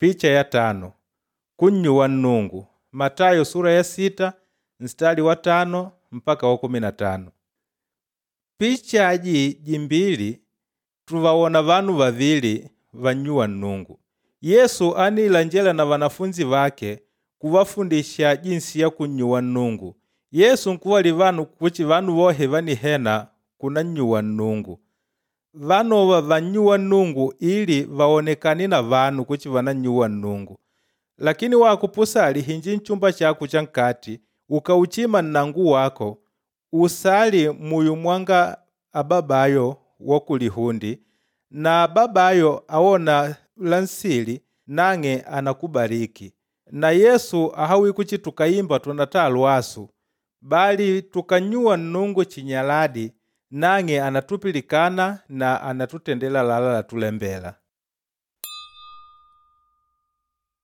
Picha ya 5 kunnyuwa Nnungu Matayo sura ya 6 nstari wa 5 mpaka wa 15. Picha aji jimbili tuvawona vanu vavili vannyuwa Nnungu. Yesu anilanjela na vanafunzi vake kuvafundisha jinsi ya kunnyuwa Nnungu. Yesu nkuwali vanu kuchi vanu vohe vanihena kunannyuwa Nnungu. Vanova vannyuwa Nnungu ili vawonekane na vanu kuchi vanannyuwa Nnungu. Lakini wakupusali hinji nchumba chako cha nkati ukauchima nnangu wako usali muyu mwanga ababayo wa kulihundi na ababayo awona la nsili nang'e anakubariki. Na Yesu ahawi kuchi tukayimba tunata lwasu bali tukanyuwa Nnungu chinyaladi nang'e anatupilikana na anatutendela lala latulembela.